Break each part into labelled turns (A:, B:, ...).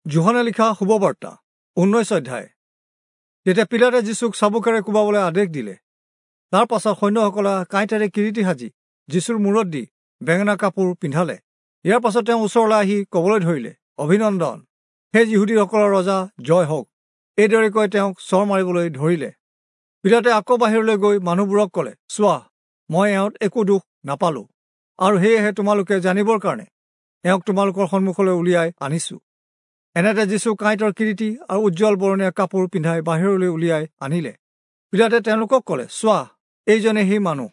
A: যোহনে লিখা শুভবাৰ্তা 19 অধ্যায়। তেতিয়া পিলাতে যীচুক চাবুকেৰে কোবাবলৈ আদেশ দিলে। তাৰ পাছত সৈন্যসকলে কাঁইটেৰে কিৰীটি সাজি যীচুৰ মূৰত দি বেঙেনা কাপোৰ পিন্ধালে। ইয়াৰ পাছত তেওঁ ওচৰলৈ আহি ক'বলৈ ধৰিলে, অভিনন্দন, হে যিহুদীসকলৰ ৰজা, জয় হওক। এইদৰে কৈ তেওঁক চৰ মাৰিবলৈ ধৰিলে। পিলাতে আকৌ বাহিৰলৈ গৈ মানুহবোৰক ক'লে, চোৱা, মই এওঁত একো দোষ নাপালোঁ, আৰু সেয়েহে তোমালোকে জানিবৰ কাৰণে এওঁক তোমালোকৰ সন্মুখলৈ উলিয়াই আনিছোঁ। এনেতে যীচু কাঁইটৰ কিৰীটি আৰু উজ্জ্বল বৰণীয়া কাপোৰ পিন্ধাই বাহিৰলৈ উলিয়াই আনিলে। পিলাতে তেওঁলোকক ক'লে, চোৱা, এইজনে সেই মানুহ।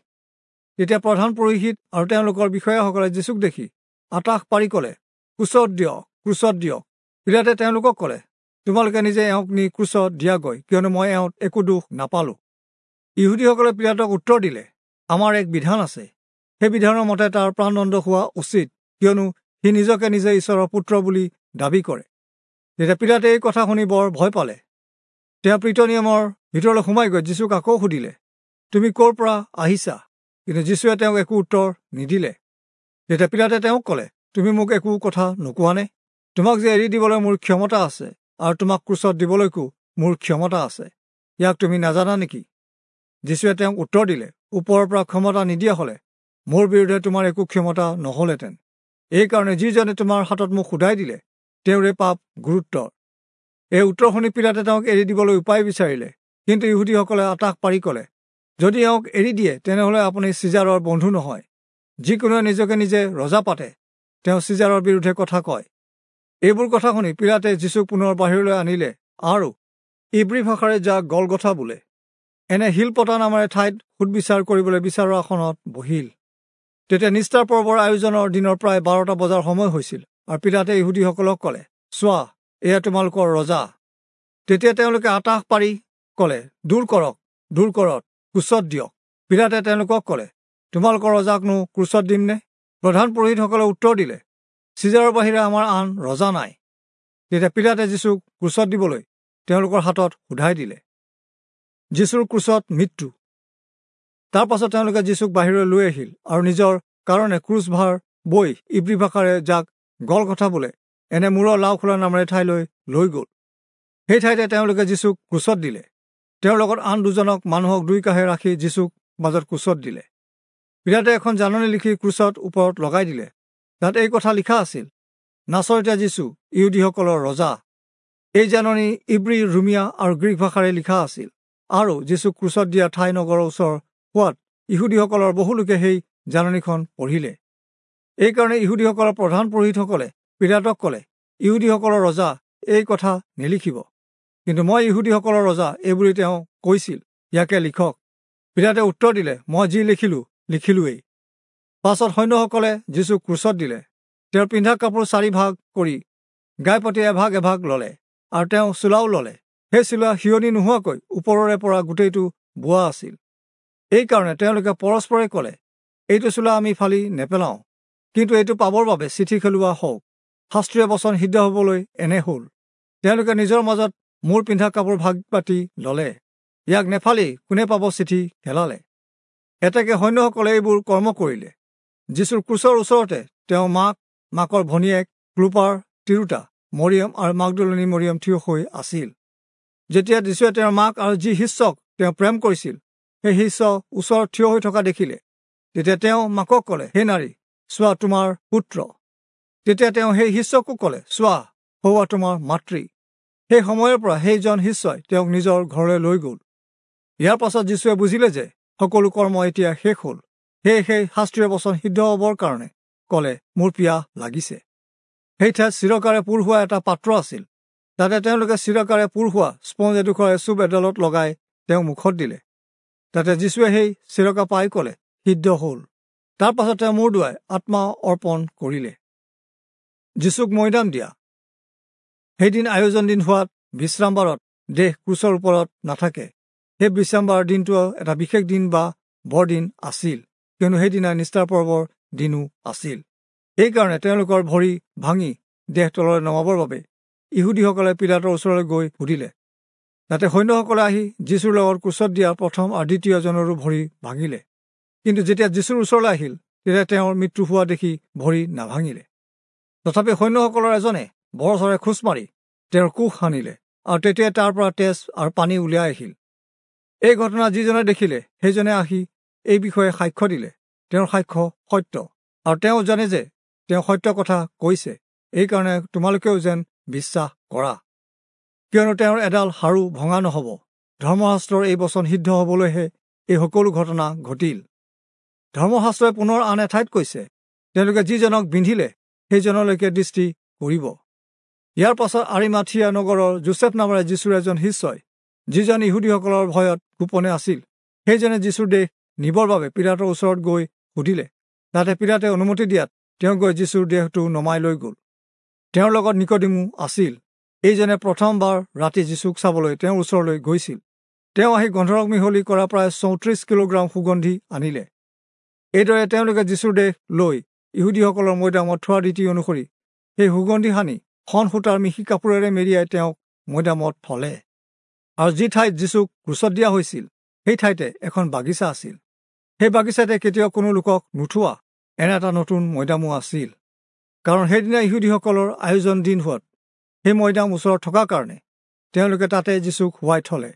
A: তেতিয়া প্ৰধান পুৰোহিত আৰু তেওঁলোকৰ বিষয়াসকলে যীচুক দেখি আটাস পাৰি ক'লে, ক্ৰুচত দিয়ক, ক্ৰুচত দিয়ক। পিলাতে তেওঁলোকক ক'লে, তোমালোকে নিজে এওঁক নি ক্ৰুচত দিয়াগৈ, কিয়নো মই এওঁত একো দোষ নাপালোঁ। ইহুদীসকলে পিলাতক উত্তৰ দিলে, আমাৰ এক বিধান আছে, সেই বিধানৰ মতে তাৰ প্ৰাণদণ্ড হোৱা উচিত, কিয়নো সি নিজকে নিজে ঈশ্বৰৰ পুত্ৰ বুলি দাবী কৰে। তেতিয়া পিলাতে এই কথা শুনি বৰ ভয় পালে। তেওঁ প্ৰীতনিয়মৰ ভিতৰলৈ সোমাই গৈ যীচুক আকৌ সুধিলে, তুমি ক'ৰ পৰা আহিছা? কিন্তু যীচুৱে তেওঁক একো উত্তৰ নিদিলে। তেতিয়া পিলাতে তেওঁক ক'লে, তুমি মোক একো কথা নোকোৱানে? তোমাক যে এৰি দিবলৈ মোৰ ক্ষমতা আছে আৰু তোমাক ক্ৰুচত দিবলৈকো মোৰ ক্ষমতা আছে, ইয়াক তুমি নাজানা নেকি? যীচুৱে তেওঁক উত্তৰ দিলে, ওপৰৰ পৰা ক্ষমতা নিদিয়া হ'লে মোৰ বিৰুদ্ধে তোমাৰ একো ক্ষমতা নহ'লহেঁতেন। এইকাৰণে যিজনে তোমাৰ হাতত মোক সোধাই দিলে, তেওঁৰে পাপ গুৰুত্বৰ। এই উত্তৰ শুনি পিলাতে তেওঁক এৰি দিবলৈ উপায় বিচাৰিলে, কিন্তু ইহুদীসকলে আটাস পাৰি ক'লে, যদি এওঁক এৰি দিয়ে তেনেহ'লে আপুনি চিজাৰৰ বন্ধু নহয়। যিকোনোৱে নিজকে নিজে ৰজা পাতে, তেওঁ চিজাৰৰ বিৰুদ্ধে কথা কয়। এইবোৰ কথা শুনি পিলাতে যীচুক পুনৰ বাহিৰলৈ আনিলে আৰু ইব্ৰী ভাষাৰে যাক গলগথা বোলে, এনে শিলপতা নামেৰে ঠাইত সুদবিচাৰ কৰিবলৈ বিচাৰৰ আসনত বহিল। তেতিয়া নিস্তাৰ পৰ্বৰ আয়োজনৰ দিনৰ প্ৰায় 12টা বজাৰ সময় হৈছিল, আৰু পিলাতে ইহুদীসকলক ক'লে, চোৱা, এয়া তোমালোকৰ ৰজা। তেতিয়া তেওঁলোকে আটাস পাৰি ক'লে, দূৰ কৰক, দূৰ কৰক, ক্ৰুচত দিয়ক। পিলাতে তেওঁলোকক ক'লে, তোমালোকৰ ৰজাকনো ক্ৰুচত দিমনে? প্ৰধান পুৰোহিতসকলে উত্তৰ দিলে, চিজাৰৰ বাহিৰে আমাৰ আন ৰজা নাই। তেতিয়া পিলাতে যীচুক ক্ৰুচত দিবলৈ তেওঁলোকৰ হাতত সোধাই দিলে। যীচুৰ ক্ৰুচত মৃত্যু। তাৰ পাছত তেওঁলোকে যীচুক বাহিৰলৈ লৈ আহিল আৰু নিজৰ কাৰণে ক্ৰুচভাৰ বৈ ইব্ৰী ভাষাৰে যাক গলগথা বোলে, এনে মূৰৰ লাওখোলা নামেৰে ঠাইলৈ লৈ গ'ল। সেই ঠাইতে তেওঁলোকে যীচুক ক্ৰুচত দিলে। তেওঁৰ লগত আন দুজনক মানুহক দুই কাষে ৰাখি যীচুক মাজত ক্ৰুচত দিলে। পিলাতে এখন জাননী লিখি ক্ৰুচত ওপৰত লগাই দিলে। তাত এই কথা লিখা আছিল, নাচৰতীয়া যীচু, ইহুদীসকলৰ ৰজা। এই জাননী ইব্ৰী, ৰুমিয়া আৰু গ্ৰীক ভাষাৰে লিখা আছিল। আৰু যীচুক ক্ৰুচত দিয়া ঠাই নগৰৰ ওচৰ হোৱাত ইহুদীসকলৰ বহুলোকে সেই জাননীখন পঢ়িলে। এইকাৰণে ইহুদীসকলৰ প্ৰধান পুৰোহিতসকলে পিলাতক ক'লে, ইহুদীসকলৰ ৰজা এই কথা নিলিখিব, কিন্তু মই ইহুদীসকলৰ ৰজা এইবুলি তেওঁ কৈছিল, ইয়াকে লিখক। পিলাতে উত্তৰ দিলে, মই যি লিখিলোঁ লিখিলোৱেই। পাছত সৈন্যসকলে যীচুক ক্ৰুচত দিলে। তেওঁৰ পিন্ধা কাপোৰ 4 ভাগ কৰি গাইপতি এভাগ এভাগ ল'লে, আৰু তেওঁ চোলাও ল'লে। সেই চোলা সিয়নি নোহোৱাকৈ ওপৰৰে পৰা গোটেইটো বোৱা আছিল। এইকাৰণে তেওঁলোকে পৰস্পৰে ক'লে, এইটো চোলা আমি ফালি নেপেলাওঁ, কিন্তু এইটো পাবৰ বাবে চিঠি খেলোৱা হওক। শাস্ত্ৰীয় বচন সিদ্ধ হ'বলৈ এনে হ'ল। তেওঁলোকে নিজৰ মাজত মোৰ পিন্ধা কাপোৰ ভাগ পাতি ল'লে, ইয়াক নেফালি কোনে পাব চিঠি খেলালে। এতেকে সৈন্যসকলে এইবোৰ কৰ্ম কৰিলে। যীচুৰ ক্ৰুচৰ ওচৰতে তেওঁ মাক, মাকৰ ভনীয়েক, ক্লোপাৰ তিৰোতা মৰিয়ম আৰু মাগদলনী মৰিয়ম থিয় হৈ আছিল। যেতিয়া যীচুৱে তেওঁৰ মাক আৰু যি শিষ্যক তেওঁ প্ৰেম কৰিছিল, সেই শিষ্য ওচৰত থিয় হৈ থকা দেখিলে, তেতিয়া তেওঁ মাকক ক'লে, হে নাৰী, চোৱা তোমাৰ পুত্ৰ। তেতিয়া তেওঁ সেই শিষ্যকো ক'লে, চোৱা, সৌৱা তোমাৰ মাতৃ। সেই সময়ৰ পৰা সেইজন শিষ্যই তেওঁক নিজৰ ঘৰলৈ লৈ গ'ল। ইয়াৰ পাছত যীচুৱে বুজিলে যে সকলো কৰ্ম এতিয়া শেষ হ'ল। সেয়ে সেই শাস্ত্ৰীয় বচন সিদ্ধ হ'বৰ কাৰণে ক'লে, মোৰ পিয়াহ লাগিছে। সেই ঠাইত চিৰকাৰে পূৰ হোৱা এটা পাত্ৰ আছিল। তাতে তেওঁলোকে চিৰকাৰে পূৰ হোৱা স্পঞ্জ এডোখৰ এচুপ এডালত লগাই তেওঁ মুখত দিলে। তাতে যীচুৱে সেই চিৰকা পাই ক'লে, সিদ্ধ হ'ল। তাৰ পাছত তেওঁ মূৰ দোৱাই আত্মা অৰ্পণ কৰিলে। যীচুক মৈদাম দিয়া। সেইদিন আয়োজন দিন হোৱাত বিশ্ৰামবাৰত দেহ ক্ৰুচৰ ওপৰত নাথাকে। সেই বিশ্ৰামবাৰ দিনটো এটা বিশেষ দিন বা বৰদিন আছিল, কিয়নো সেইদিনা নিস্তাৰ পৰ্বৰ দিনো আছিল। এইকাৰণে তেওঁলোকৰ ভৰি ভাঙি দেহ তললৈ নমাবৰ বাবে ইহুদীসকলে পিলাতৰ ওচৰলৈ গৈ সুধিলে। তাতে সৈন্যসকলে আহি যীচুৰ লগত ক্ৰুচত দিয়া প্ৰথম আৰু দ্বিতীয়জনৰো ভৰি ভাঙিলে। কিন্তু যেতিয়া যীচুৰ ওচৰলৈ আহিল, তেতিয়া তেওঁৰ মৃত্যু হোৱা দেখি ভৰি নাভাঙিলে। তথাপি সৈন্যসকলৰ এজনে বৰচৰে খোজ মাৰি তেওঁৰ কোষ সানিলে আৰু তেতিয়াই তাৰ পৰা তেজ আৰু পানী উলিয়াই আহিল। এই ঘটনা যিজনে দেখিলে সেইজনে আহি এই বিষয়ে সাক্ষ্য দিলে। তেওঁৰ সাক্ষ্য সত্য আৰু তেওঁ জানে যে তেওঁ সত্য কথা কৈছে, এইকাৰণে তোমালোকেও যেন বিশ্বাস কৰা। কিয়নো তেওঁৰ এডাল হাড়ো ভঙা নহ'ব। ধৰ্মশাস্ত্ৰৰ এই বচন সিদ্ধ হ'বলৈহে এই সকলো ঘটনা ঘটিল। ধৰ্মশাস্ত্ৰই পুনৰ আন এঠাইত কৈছে, তেওঁলোকে যিজনক বিন্ধিলে সেইজনলৈকে দৃষ্টি কৰিব। ইয়াৰ পাছত আৰিমাথিয়া নগৰৰ যোচেফ নামেৰে যীশুৰ এজন শিষ্যই, যিজন ইহুদীসকলৰ ভয়ত গোপনে আছিল, সেইজনে যীশুৰ দেহ নিবৰ বাবে পীলাতৰ ওচৰত গৈ সুধিলে। তাতে পীলাতে অনুমতি দিয়াত তেওঁ গৈ যীশুৰ দেহটো নমাই লৈ গ'ল। তেওঁৰ লগত নিকোদেমো আছিল। এইজনে প্ৰথমবাৰ ৰাতি যীশুক চাবলৈ তেওঁৰ ওচৰলৈ গৈছিল। তেওঁ আহি গন্ধৰস মিহলি কৰা প্ৰায় 34 কিলোগ্ৰাম সুগন্ধি আনিলে। এইদৰে তেওঁলোকে যীশুৰ দেহ লৈ ইহুদীসকলৰ মৈদামত থোৱা ৰীতি অনুসৰি সেই সুগন্ধি সানি শন সূতাৰ মিহি কাপোৰেৰে মেৰিয়াই তেওঁক মৈদামত থলে। আৰু যি ঠাইত যীশুক ক্ৰুচত দিয়া হৈছিল সেই ঠাইতে এখন বাগিচা আছিল। সেই বাগিচাতে কেতিয়াও কোনো লোকক নুঠোৱা এনে এটা নতুন মৈদামো আছিল। কাৰণ সেইদিনা ইহুদীসকলৰ আয়োজন দিন হোৱাত সেই মৈদাম ওচৰত থকাৰ কাৰণে তেওঁলোকে তাতে যীশুক শুৱাই থলে।